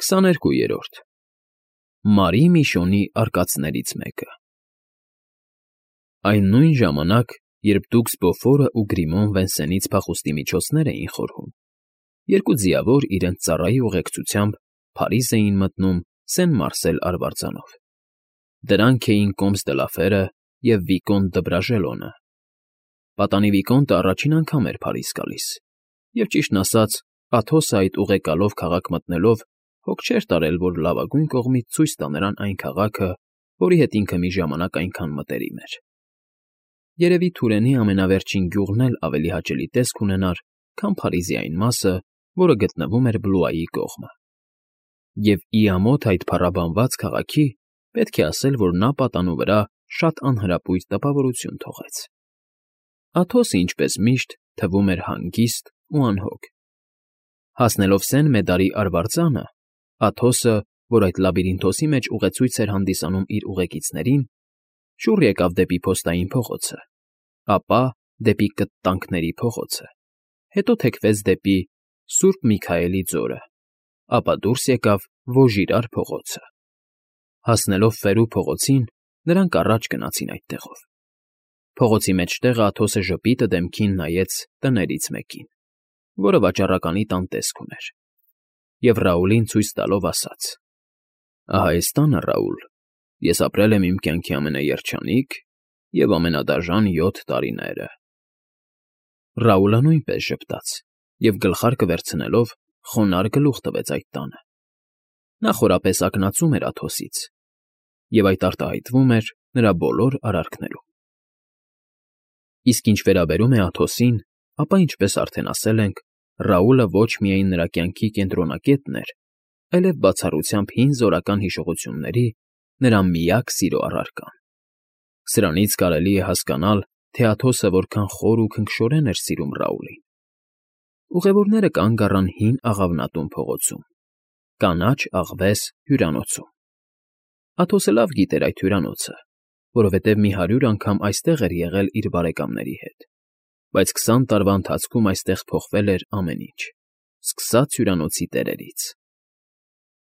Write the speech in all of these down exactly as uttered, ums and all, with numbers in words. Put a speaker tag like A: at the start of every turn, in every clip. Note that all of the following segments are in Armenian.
A: քսաներկուերորդ Մարի Միշոնի արկածներից մեկը Այն նույն ժամանակ, երբ դուք Սպոֆորն ու Գրիմոն Վենսենից փախուստի միջոցներ էին խորհում, երկու ձիավոր իրենց ծառայի ուղեկցությամբ Փարիզ էին մտնում Սեն֊Մարսել արվարձանով. դրանք էին Կոմս դը Լաֆերը և Վիկոնտ դը Բրաժելոնը։ Պատանի Վիկոնտը առաջին անգամ էր Փարիզ գալիս, և, ճիշտն ասած, Աթոսը այդ ուղեկալով քաղաք մտնելով հոգ չէր տարել, որ լավագույն կողմից ցույց տա նրան այն քաղաքը, որի հետ ինքը մի ժամանակ այնքան մտերիմ էր։ Երևի Թուրենի ամենավերջին գյուղն էլ ավելի հաճելի տեսք ունենար, քան Փարիզի այն մասը, որը գտնվում էր Բլուայի կողմը։ Եվ ի ամոթ այդ փառաբանված քաղաքի պետք է ասել, որ նա պատանու վրա շատ անհրապույր տպավորություն թողեց։ Աթոսը, ինչպես միշտ, թվում էր հանգիստ ու անհոգ։ Հասնելով Սեն֊Մեդարի արվարձանը, Աթոսը, որ այդ լաբիրինթոսի մեջ ուղեցույց էր հանդիսանում իր ուղեկիցներին, շուռ եկավ դեպի Փոստային փողոցը, ապա դեպի Կտտանքների փողոցը, հետո թեքվեց դեպի Սուրբ Միքայելի ձորը, ապա դուրս եկավ Վոժիրար փողոցը։ Հասնելով Ֆերու փողոցին, նրանք առաջ գնացին այդտեղով։ Փողոցի մեջտեղը Աթոսը ժպիտը դեմքին նայեց տներից մեկին, որը վաճառականի տան տեսք ուներ, և Ռաուլին ցույց տալով ասաց. «Ահա էս տանը, Ռաուլ, ես ապրել եմ իմ կյանքի ամենաերջանիկ և ամենադաժան յոթ տարիները»։ Ռաուլը նույնպես ժպտաց և, գլխարկը վերցնելով, խոնարհ գլուխ տվեց այդ տանը։ Նա խորապես ակնածում էր Աթոսից, և այդ արտահայտվում էր նրա բոլոր արարքներում։ Իսկ ինչ վերաբերում է Աթոսին, ապա, ինչպես արդեն ասել ենք, Ռաուլը ոչ միայն նրա կյանքի կենտրոնակետն էր, այլև բացառությամբ հին զորական հիշողությունների նրա միակ սիրո առարկան։ Սրանից կարելի է հասկանալ, թե Աթոսը որքան խոր ու քնքշորեն էր սիրում Ռաուլին։ Ուղևորները կանգ առան հին աղավնատուն փողոցում, կանաչ աղվես հյուրանոցում։ Աթոսը լավ գիտեր այդ հյուրանոցը, որովհետև մի հարյուր անգամ այստեղ էր եղել իր բարեկամների հետ, բայց քսան տարվա ընթացքում այստեղ փոխվել էր ամեն ինչ, սկսած հյուրանոցի տերերից։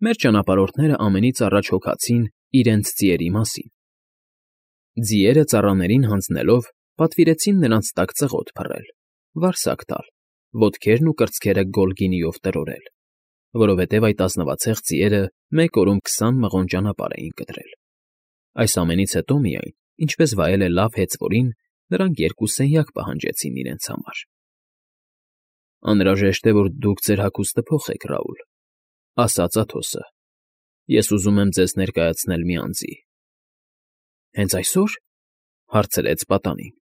A: Մեր ճանապարհորդները ամենից առաջ հոգացին իրենց ձիերի մասին։ Ձիերը ծառաներին հանձնելով պատվիրեցին նրանց տակ ծղոտ փռել, վարսակ տալ, ոտքերն ու կրծքերը գոլգինիով տրորել, որովհետև այդ ազնվացեղ ձիերը մեկ օրում քսան մղոն ճանապարհ էին կտրել։ Այս ամենից հետո միայն, ինչպես վայել է լավ հեծվորին, նրանք երկու սենյակ պահանջեցին իրենց համար։ «Անհրաժեշտ է, որ դուք ձեր հագուստը փոխեք, Ռաուլ», ֊ ասաց Աթոսը։ «Ես ուզում եմ ձեզ ներկայացնել մի անձի»։ «Հենց այսօր» ֊ հարցրեց պատանին։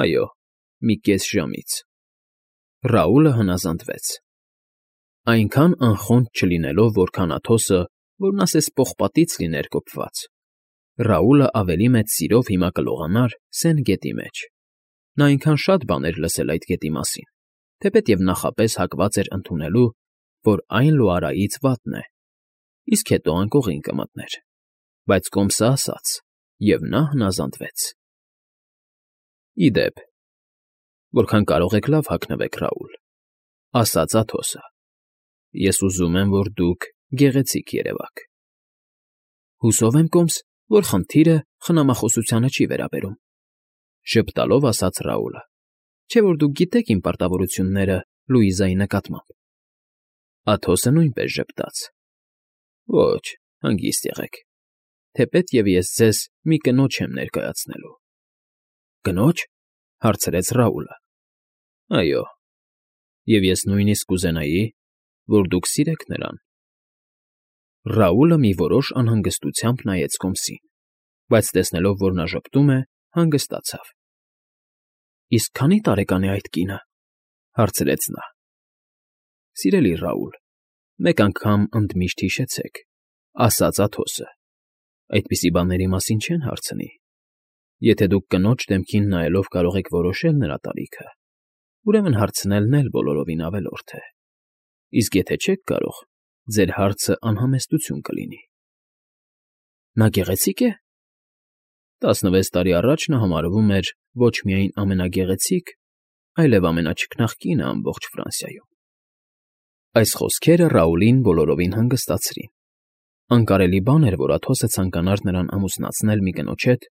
A: «Այո, մի կես ժամից»։ Ռաուլը հնազանդվեց։ Այնքան անխոնջ չլինելով, որքան Աթոսը, որն ասես պողպատից լիներ կոփված, Ռաուլը ավելի մեծ սիրով հիմա կլողանար Սեն գետի մեջ։ Նա այնքան շատ բաներ լսել այդ գետի մասին, թեպետև նախապես հակված էր ընդունելու, որ այն Լոարայից վատն է, իսկ հետո անկողին կմտներ, բայց Կոմսը ասաց, և նա հնազանդվեց։ «Ի դեպ, որքան կարող եք լավ հագնվեք, Ռաուլ», ֊ ասաց Աթոսը։ «Ես ուզում եմ, որ դուք գեղեցիկ երևաք»։ «Հուսով եմ, Կոմս, որ խնդիրը խնամախոսությանը չի վերաբերում», ֊ ժպտալով ասաց Ռաուլը, «չէ՞ որ դուք գիտեք իմ պարտավորությունները Լուիզայի նկատմամբ»։ Աթոսը նույնպես ժպտաց։ «Ոչ, հանգիստ եղեք, թեպետև ես ձեզ մի կնոջ եմ ներկայացնելու»։ «Կնո՞ջ» ֊ հարցրեց Ռաուլը։ «Այո, և ես նույնիսկ կուզենայի, որ դուք սիրեք նրան»։ Ռաուլը մի որոշ անհանգստությամբ նայեց Կոմսին, բայց տեսնելով, որ նա ժպտում է, հանգստացավ։ «Իսկ քանի՞ տարեկան է այդ կինը» ֊ հարցրեց նա։ «Սիրելի Ռաուլ, մեկ անգամ ընդմիշտ հիշեցեք», ֊ ասաց Աթոսը, «այդպիսի բաների մասին չեն հարցնի։ Եթե դուք կնոջ դեմքին նայելով կարող եք որոշել նրա տարիքը, ուրեմն հարցնելն էլ բոլորովին ավելորդ է, իսկ եթե չեք կարող, ձեր հարցը անհամեստություն կլինի»։ «Նա գեղեցի՞կ է»։ Տասնվեց տարի առաջ նա համարվում էր ոչ միայն ամենագեղեցիկ, այլև ամենաչքնաղ կինը ամբողջ Ֆրանսիայում։ Այս խոսքերը Ռաուլին բոլորովին հանգստացրին։ Անկարելի բան էր, որ Աթոսը ցանկանար նրան ամուսնացնել մի կնոջ հետ,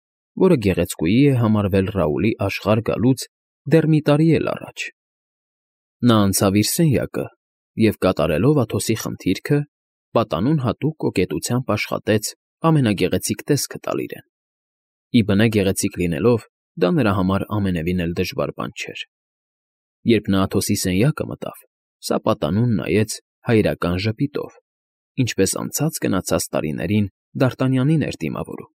A: որը գեղեցկուհի է համարվել Ռաուլի աշխարհ գալուց դեռ մի տարի էլ առաջ։ Նա անցավ իր սենյակը և, կատարելով Աթոսի խնդիրքը, պատանուն հատուկ կոկետությամբ աշխատեց ամենագեղեցիկ տեսքը տալ իրեն։ Ի բնե գեղեցիկ լինելով, դա նրա համար ամենևին էլ դժվար բան չէր։ Երբ նա Աթոսի սենյակը մտավ, սա պատանուն նայեց հայրական ժպիտով, ինչպես անցած֊գնացած տարիներին Դ'Արտանյանին էր դիմավորում,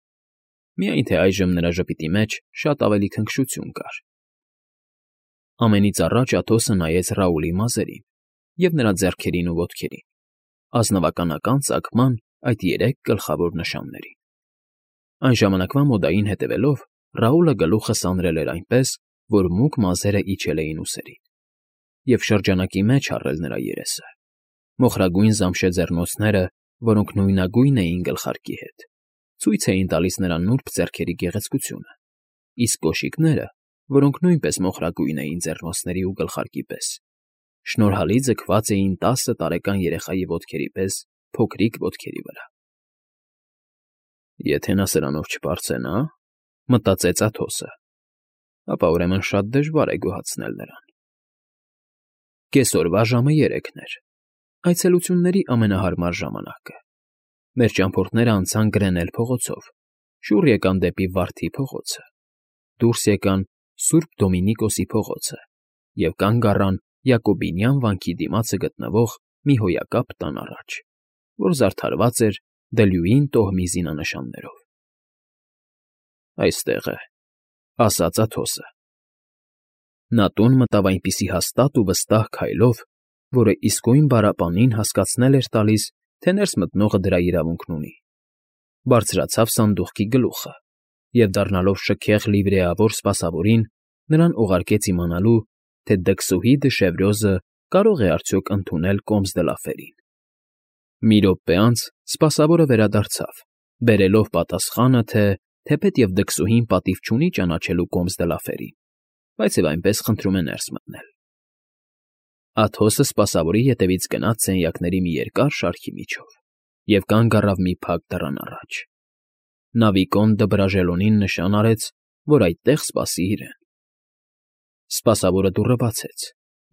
A: միայն թե այժմ նրա ժպիտի մեջ շատ ավելի քնքշություն կար։ Ամենից առաջ Աթոսը նայեց Ռաուլի մազերին և նրա ձեռքերին ու ոտքերին, ազնվականական ծագման այդ երեք գլխավոր նշաններին։ Այն ժամանակվա մոդային հետևելով, Ռաուլը գլուխը սանրել էր այնպես, որ մուգ մազերը իջել էին ուսերին, և շրջանակի մեջ առել նրա երեսը, մոխրագույն զամշե ձեռնոցները, որոնք նույնագույն էին գլխարկի հետ, ցույց էին տալիս նրա նուրբ ձեռքերի գեղեցկությունը, իսկ կոշիկները, որոնք նույնպես մոխրագույն էին ձեռնոցների ու գլխարկի պես, շնորհալի ձգված էին տասը տարեկան երեխայի ոտքերի պես փոքրիկ ոտքերի վրա։ «Եթե նա սրանով չպարծենա,֊ մտածեց Աթոսը,֊ ապա ուրեմն շատ դժվար է գոհացնել նրան»։ Կեսօրվա ժամը երեքն էր, այցելությունների ամենահարմար ժամանակը։ Մեր ճամփորդներն անցան Գրենել փողոցով, շուռ եկան դեպի Վարդի փողոցը, դուրս եկան Սուրբ Դոմինիկոսի փողոցը և կանգ առան Յակոբինյան վանքի դիմացը գտնվող մի հոյակապ տան առաջ, որ զարդարված էր դլյուին տոհմի զինանշաններով։ «Այստեղ է,֊ ասաց Աթոսը։ Նա տուն մտավ այնպիսի հաստատ ու վստահ քայլով, որը իսկույն բարապանին հասկացնել էր տալիս, թե ներս մտնողը դրա իրավունքն ունի։ Բարձրացավ սանդուղքի գլուխը և, դառնալով շքեղ լիվրեավոր սպասավորին, նրան ուղարկեց իմանալու, թե դքսուհի Դշևրյոզը կարո՞ղ է արդյոք ընդունել Կոմս դը Լաֆերին։ Մի րոպե անց սպասավորը վերադարձավ, բերելով պատասխանը, թե թեպետև դքսուհին պատիվ չունի ճանաչելու Կոմս դը Լաֆերին, բայց և այնպես խնդրում է ներս մտնել։ Աթոսը սպասավորի ետևից գնաց սենյակների մի երկար շարքի միջով և կանգ առավ մի փակ դռան առաջ։ Նա Վիկոն դը Բրաժելոնին նշան արեց, որ այդտեղ սպասի իրեն։ Սպասավորը դուռը բացեց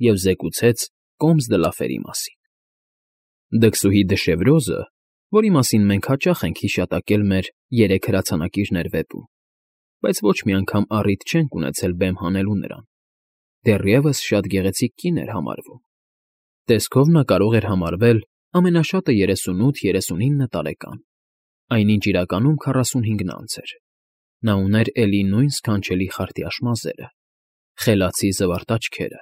A: և զեկուցեց Կոմս դը Լաֆերի մասին։ Դքսուհի Դշևրյոզը, որի մասին մենք հաճախ ենք հիշատակել մեր «Երեք հրացանակիրներ» վեպում, բայց ոչ մի անգամ առիթ չենք ունեցել բեմ հանելու նրան, դեռևս շատ գեղեցիկ կին էր համարվում։ Տեսքով նա կարող էր համարվել ամենաշատը երեսունութ֊երեսունինը տարեկան, այնինչ իրականում քառասունհինգն անց էր։ Նա ուներ էլի նույն սքանչելի խարտյաշ մազերը, խելացի զվարթ աչքերը,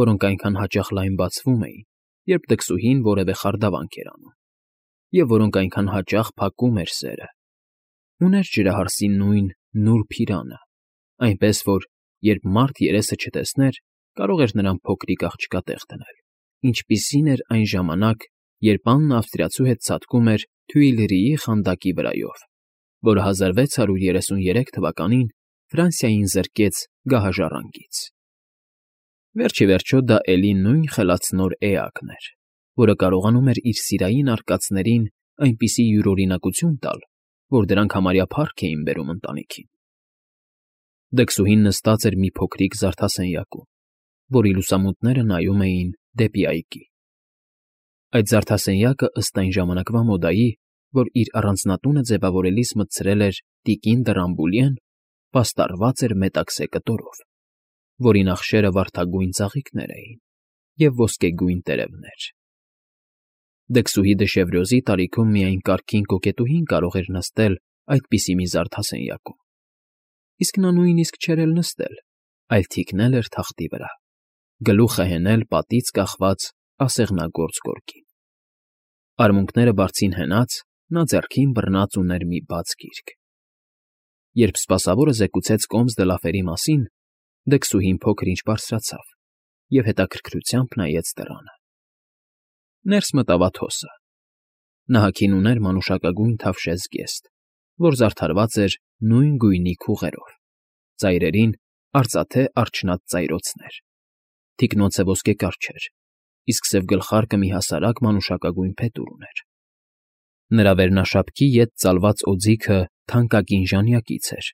A: որոնք այնքան հաճախ լայն բացվում էին, երբ դքսուհին որևէ խարդավանք էր անում, և որոնք այնքան հաճախ փակում էր սերը։ Ուներ ջրահարսի նույն նուրբ հիրանը, այնպես որ, երբ մարդ երեսը չտեսներ, կարող էր նրան փոքրիկ աղջկա տեղ դնել, ինչպիսին էր այն ժամանակ, երբ Աննը ավստրիացու հետ ցատկում էր Թյուիլրիի խանդակի վրայով, որը հազար վեց հարյուր երեսուներեք թվականին Ֆրանսիային զրկեց գահաժառանգից։ Վերջ ի վերջո դա էլի նույն խելացնոր էակն էր, որը կարողանում էր իր սիրային արկածներին այնպիսի յուրօրինակություն տալ, որ դրանք համարյա փառք էին բերում ընտանիքին։ Դքսուհին նստած էր մի փոքրիկ զարդասենյակում, որի լուսամուտները նայում էին դեպի այգի։ Այդ զարդասենյակը, ըստ այն ժամանակվա մոդայի, որ իր առանձնատունը ձևավորելիս մտցրել էր տիկին դը Ռամբուլյեն, պաստառված էր մետաքսե կտորով, որի նախշերը վարդագույն ծաղիկներ էին և ոսկեգույն տերևներ։ Դքսուհի Դշևրյոզի տարիքում միայն կարգին կոկետուհին կարող էր նստել այդպիսի մի զարդասենյակում, իսկ նա նույնիսկ չէր էլ նստել, այլ թիկնել էր թախտի վրա, գլուխը հենել պատից կախված ասեղնագործ գորգին։ Արմունկները բարձին հենած, նա ձեռքին բռնած ուներ մի բաց գիրք։ Երբ սպասավորը զեկուցեց Կոմս դը Լաֆերի մասին, դքսուհին փոքր-ինչ բարձրացավ և հետաքրքրությամբ նայեց դռանը։ Ներս մտավ Աթոսը։ Նահաքին ուներ մանուշակագույն թավշե զգեստ, որ զարդարված էր նույն գույնի քուղերով, ծայրերին արծաթե արջնած ծայրոցներ։ Թիկնոնցը ոսկեկար չէր, իսկ սև գլխարկը մի հասարակ մանուշակագույն փետուր ուներ։ Նրա վերնաշապքի ետ ծալված օձիքը թանկագին ժանյակից էր,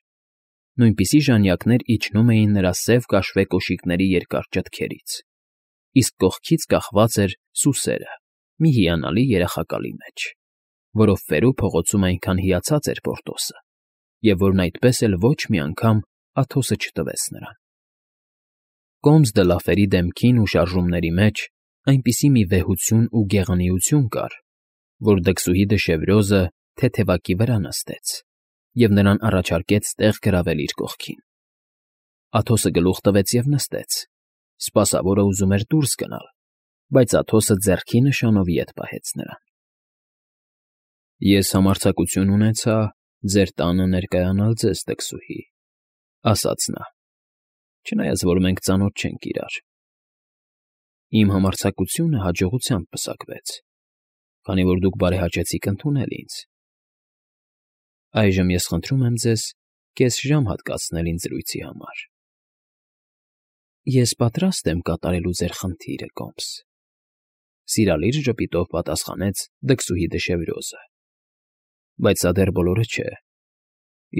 A: նույնպիսի ժանյակներ իջնում էին նրա սև կաշվե կոշիկների երկար ճտքերից, իսկ կողքից կախված էր սուսերը մի հիանալի երախակալի մեջ, որով Ֆերու փողոցում այնքան հիացած էր Պորտոսը, և որն այդպես էլ ոչ մի անգամ Աթոսը չտվեց նրան։ Կոմս դը Լաֆերի դեմքին ու շարժումների մեջ այնպիսի մի վեհություն ու գեղնիություն կար, որ դքսուհի դշևրյոզը թեթևակի վրա նստեց և նրան առաջարկեց տեղ գրավել իր կողքին։ Աթոսը գլուխ տվեց և նստեց, սպասավորը ուզում էր դուրս գնալ, բայց Աթոսը ձեռքի նշանով ետ պահեց նրան։ ֊ Ես համարձակություն ունեցա ձեր տանը ներկայանալ ձեզ, դքսուհի, ֊ ասաց նա, չնայած որ մենք ծանոթ չենք իրար։ Իմ համարձակությունը հաջողությամբ պսակվեց, քանի որ դուք բարեհաճեցիք ընդունել ինձ։ Այժմ ես խնդրում եմ ձեզ կես ժամ հատկացնել ինձ զրույցի համար։ ֊ Ես պատրաստ եմ կատարելու ձեր խնդիրը, Կոմս,֊ սիրալիր ժպիտով պատասխանեց դքսուհի դշևրյոզը,֊ բայց սա դեռ բոլորը չէ։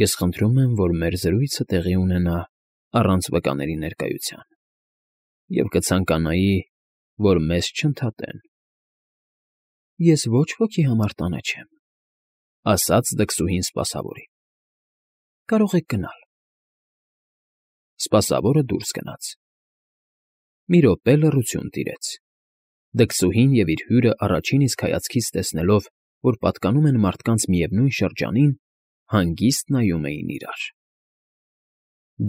A: Ես խնդրում եմ, որ մեր զրույցը տեղի ունենա առանց վկաների ներկայության, և կցանկանայի, որ մեզ չընդհատեն։ ֊ Ես ոչ ոքի համար տանը չեմ,֊ ասաց դքսուհին սպասավորին։ Կարող եք գնալ։ Սպասավորը դուրս գնաց։ Մի րոպե լռություն տիրեց։ Դքսուհին և իր հյուրը առաջին իսկ հայացքից տեսնելով, որ պատկանում են մարդկանց միևնույն շրջանին, հանգիստ նայում էին իրար։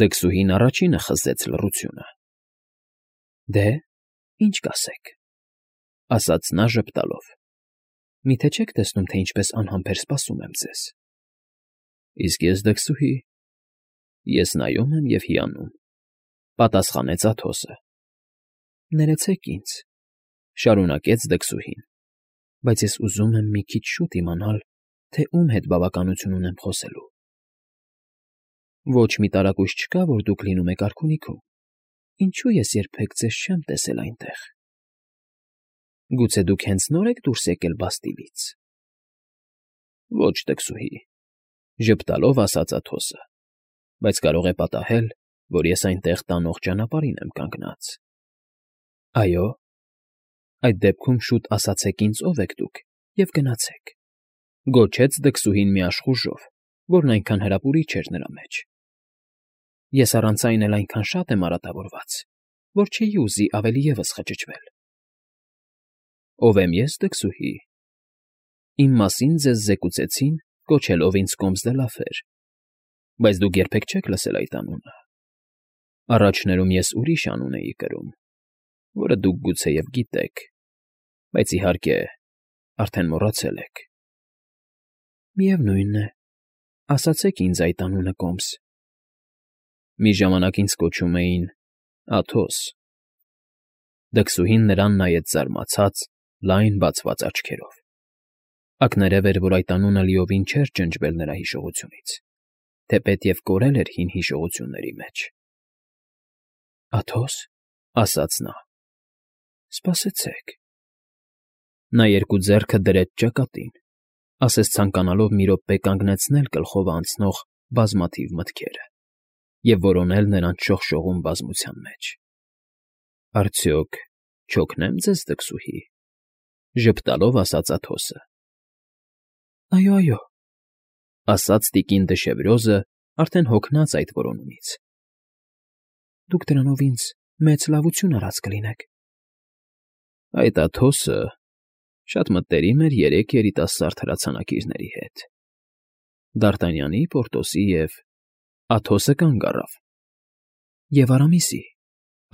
A: Դքսուհին առաջինը խզեց լռությունը։ ֊ Դե, ինչ կասեք,֊ ասաց նա ժպտալով։ Միթե չեք տեսնում, թե ինչպես անհամբեր սպասում եմ ձեզ։ ֊ Իսկ ես, դքսուհի, ես նայում եմ և հիանում,֊ պատասխանեց Աթոսը։ ֊ Ներեցեք ինձ,֊ շարունակեց դքսուհին,֊ բայց ես ուզում եմ մի քիչ շուտ իմանալ, թե ում հետ բավականություն ունեմ խոսելու։ Ոչ մի տարակույս չկա, որ դուք լինում եք արքունիքում, ինչո՞ւ ես երբեք ձեզ չեմ տեսել այնտեղ։ Գուցե դուք հենց նոր եք դուրս եկել Բաստիլից։ ֊ Ոչ, դքսուհի,֊ ժպտալով ասաց Աթոսը,֊ բայց կարող է պատահել, որ ես այնտեղ տանող ճանապարհին եմ կանգնած։ ֊ Այո՞։ Այդ դեպքում շուտ ասացեք ինձ ով եք դուք և գնացեք,֊ գոչեց դքսուհին մի աշխուժով, որն այնքան հրապուրիչ էր նրա մեջ։ Ես առանց այն էլ այնքան շատ եմ արատավորված, որ չէի ուզի ավելի ևս խճճվել։ Ո՞վ եմ ես, դքսուհի։ Իմ մասին ձեզ զեկուցեցին, կոչելով ինձ Կոմս դը Լաֆեր, բայց դուք երբեք չեք լսել այդ անունը։ Առաջներում ես ուրիշ անուն էի կրում, որը դուք գուցեև գիտեք, բայց, իհարկե, արդեն մոռացել եք։ Միևնույն է, ասացեք ինձ այդ անունը, Կոմս։ Մի ժամանակ ինձ կոչում էին Աթոս։ Դքսուհին նրան նայեց զարմացած, լայն բացված աչքերով։ Ակներև էր, որ այդ անունը լիովին չէր ջնջվել նրա հիշողությունից, թեպետև կորել էր հին հիշողությունների մեջ։ Աթո՞ս,֊ ասաց նա,֊ սպասեցեք։ Նա երկու ձեռքը դրեց ճակատին, ասես ցանկանալով մի րոպե կանգնեցնել գլխով անցնող բազմաթիվ մտքերը և որոնել նրանց շողշողուն բազմության մեջ։ ֊ Արդյոք չօգնե՞մ ձեզ, դքսուհի,֊ ժպտալով ասաց Աթոսը։ ֊ Այո, այո,֊ ասաց տիկին դշևրյոզը, արդեն հոգնած այդ որոնումից։ Դուք դրանով ինձ մեծ լավություն արած կլինեք։ Այդ Աթոսը շատ մտերիմ էր երեք երիտասարդ հրացանակիրների հետ՝ Դ'Արտանյանի, Պորտոսի և… Աթոսը կանգ առավ։ Եվ Արամիսի,֊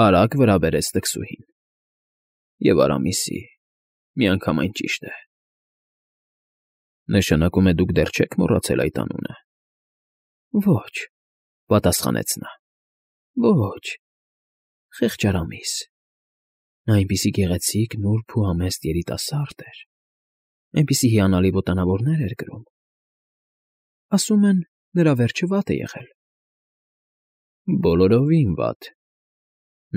A: արագ վրա բերեց դքսուհին։ Եվ Արամիսի, միանգամայն ճիշտ է։ Նշանակում է դուք դեռ չեք մոռացել այդ անունը։ Ոչ,֊ պատասխանեց նա։ Ոչ… Խեղճ Արամիս… Նա այնպիսի գեղեցիկ, նուրբ ու համեստ երիտասարդ էր, այնպիսի հիանալի ոտանավորներ էր կրում… Ասում են, նրա վերջը վատ է եղել։ Բոլորովին վատ…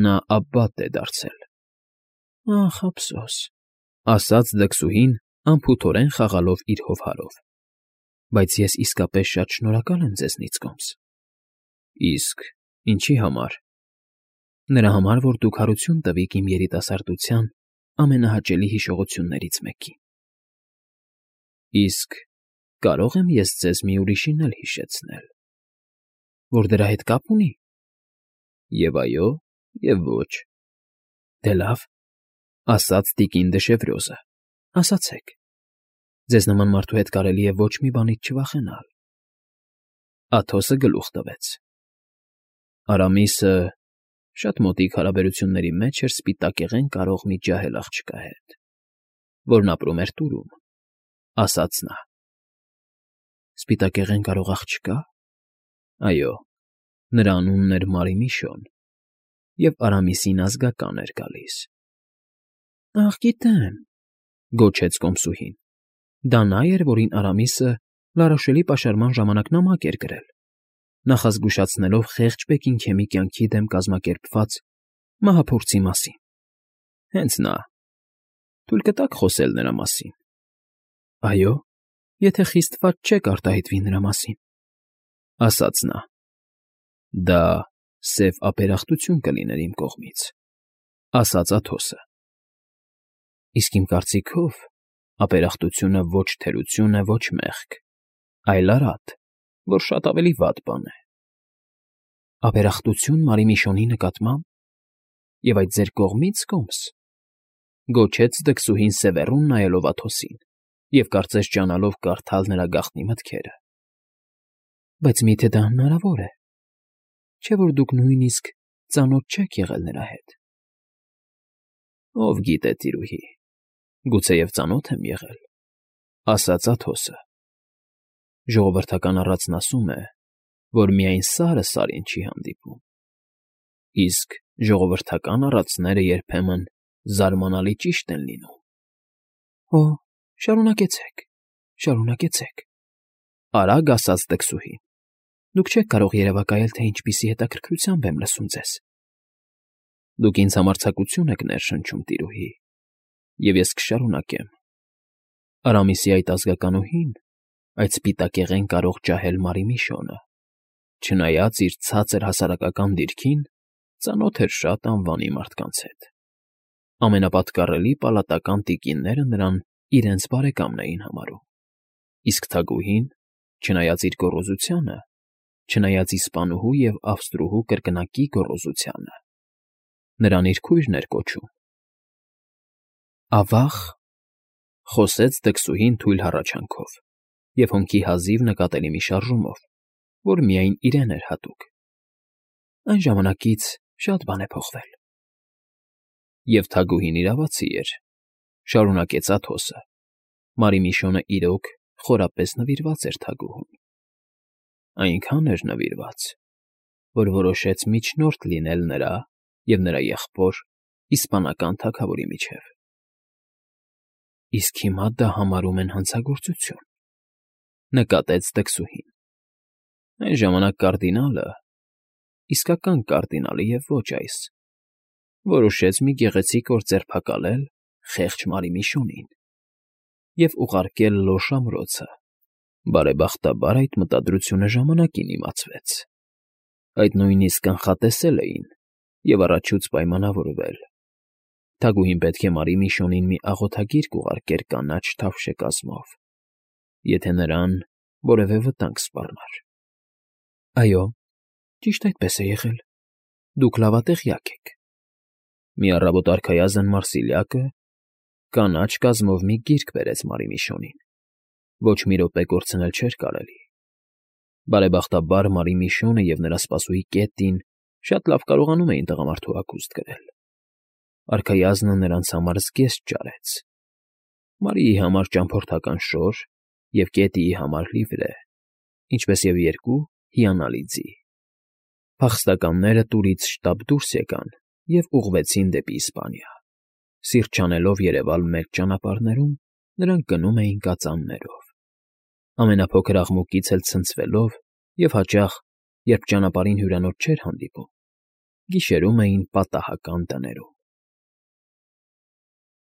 A: Նա Աբբատ է դարձել։ Ախ, ափսոս, ասաց դքսուհին, անփութորեն խաղալով իր հովհարով, բայց ես իսկապես շատ շնորհակալ եմ ձեզնից, կոմս։ Իսկ ինչի համար։ Նրա համար, որ դուք հարություն տվիք իմ երիտասարդության ամենահաճելի հիշողություններից մեկին։ Իսկ կարո՞ղ եմ ես ձեզ մի ուրիշին էլ հիշեցնել, որ դրա հետ կապ ունի։ Եվ այո, և ոչ։ Դե լավ, ասաց տիկին Դեշևրյոզը, ասացեք, ձեզ նման մարդու հետ կարելի է ոչ մի բանից չվախենալ։ Աթոսը գլուխ տվեց։ Արամիսը շատ մոտիկ հարաբերությունների մեջ էր սպիտակեղեն կարող մի ջահել աղջկա հետ, որն ապրում էր Տուրում, ասաց նա։ Սպիտակեղեն կարող աղջկա։ Այո, նրա անունն էր Մարիմիշոն, և Արամիսին ազգական էր գալիս։ Ախ, գիտեմ, գոչեց կոմսուհին, դա նա էր, որին Արամիսը Լարոշելի պաշարման ժամանակ նամակ էր գրել, նախազգուշացնելով խեղճ Բեքինգհեմի կյանքի դեմ կազմակերպված մահափորձի մասին։ Հենց նա։ Թույլ կտաք խոսել նրա մասին։ Այո, եթե խիստ վատ չեք արտահայտվի նրա մասին, ասաց նա։ Դա սև ապերախտություն կլիներ իմ կողմից, ասաց Աթոսը։ Իսկ իմ կարծիքով ապերախտությունը ոչ թերություն է, ոչ մեղք, այլ արատ, որ շատ ավելի վատ բան է։ Ապերախտություն Մարիմիշոնի նկատմամբ, և այդ ձեր կողմից, կոմս, գոչեց դքսուհին սևեռուն նայելով Աթոսին և կարծես ջանալով կարդալ նրա գաղտնի մտքերը։ Բայց միթե դա հնարավոր է, չէ՞ որ դուք նույնիսկ ծանոթ չեք եղել նրա հետ։ Ով գիտե, տիրուհի, գուցեև ծանոթ եմ եղել, ասաց Աթոսը։ Ժողովրդական առածն ասում է, որ միայն սարը սարին չի հանդիպում, իսկ ժողովրդական առածները երբեմն զարմանալի ճիշտ են լինում։ Օ, շարունակեցեք, շարունակեցեք, արագ ասաց դքսուհին։ Դուք չեք կարող երևակայել, թե ինչպիսի հետաքրքրությամբ եմ լսում ձեզ։ Դուք ինձ համարձակություն եք ներշնչում, տիրուհի, և ես կշարունակեմ։ Արամիսի այդ ազգականուհին, այդ սպիտակեղեն կարող ջահել Մարիմիշոնը, չնայած իր ցածր հասարակական դիրքին, ծանոթ էր շատ անվանի մարդկանց հետ։ Ամենապատկառելի պալատական տիկինները նրան իրենց բարեկամն էին համարում, իսկ թագուհին, չնայած իր գոռոզությանը, չնայած իսպանուհու և ավստրուհու կրկնակի գոռոզությանը, նրան իր քույրն էր կոչում։ Ավա՜ղ, խոսեց դքսուհին թույլ հառաչանքով և հոնքի հազիվ նկատելի մի շարժումով, որ միայն իրեն էր հատուկ։ Այն ժամանակից շատ բան է փոխվել։ Եվ թագուհին իրավացի էր, շարունակեց Աթոսը։ Մարիմիշոնը իրոք խորապես նվիրված էր թագուհուն։ Այնքան էր նվիրված, որ որոշեց միջնորդ լինել նրա և նրա եղբոր իսպանական թագավորի միջև։ Իսկ հիմա դա համարում են հանցագործություն, նկատեց դքսուհին։ Այն ժամանակ կարդինալը, իսկական կարդինալը և ոչ այս, որոշեց մի գեղեցիկ օր ձերբակալել խեղճ Մարիմիշոնին և ուղարկել Լոշ ամրոցը։ Բարեբախտաբար այդ մտադրությունը ժամանակին իմացվեց։ Այդ նույնիսկ կանխատեսել էին և առաջուց պայմանավորվել։ Թագուհին պետք է Մարիմիշոնին մի աղոթագիրք ուղարկեր կանաչ թավշե կազմով, եթե նրան որևէ վտանգ սպառնար։ Այո, ճիշտ այդպես է եղել, դուք լավատեղյակ եք։ Մի առավոտ արքայազն Մարսիլիակը կանաչ կազմով մի գիրք բերեց Մարիմիշոնին, ոչ մի րոպե կորցնել չէր կարելի։ Բարեբախտաբար Մարիմիշոնը և նրա սպասուհի Կետտին շատ լավ կարողանում էին տղամարդու հագուստ կրել։ Արքայազնը նրանց համար զգեստ ճարեց։ Մարիի համար ճամփորդական շոր և Կետիի համար լիվրե, ինչպես և երկու հիանալի ձի։ Փախստականները տուրից շտապ դուրս եկան և ուղղվեցին դեպի Իսպանիա։ Սիրտ չանելով երևալ մեծ ճանապարհներում, նրանք գնում էին կածաններով, ամենափոքր աղմուկից էլ ցնցվելով և հաճախ, երբ ճանապարհին հյուրանոց չէր հանդիպում, գիշերում էին պատահական տներում։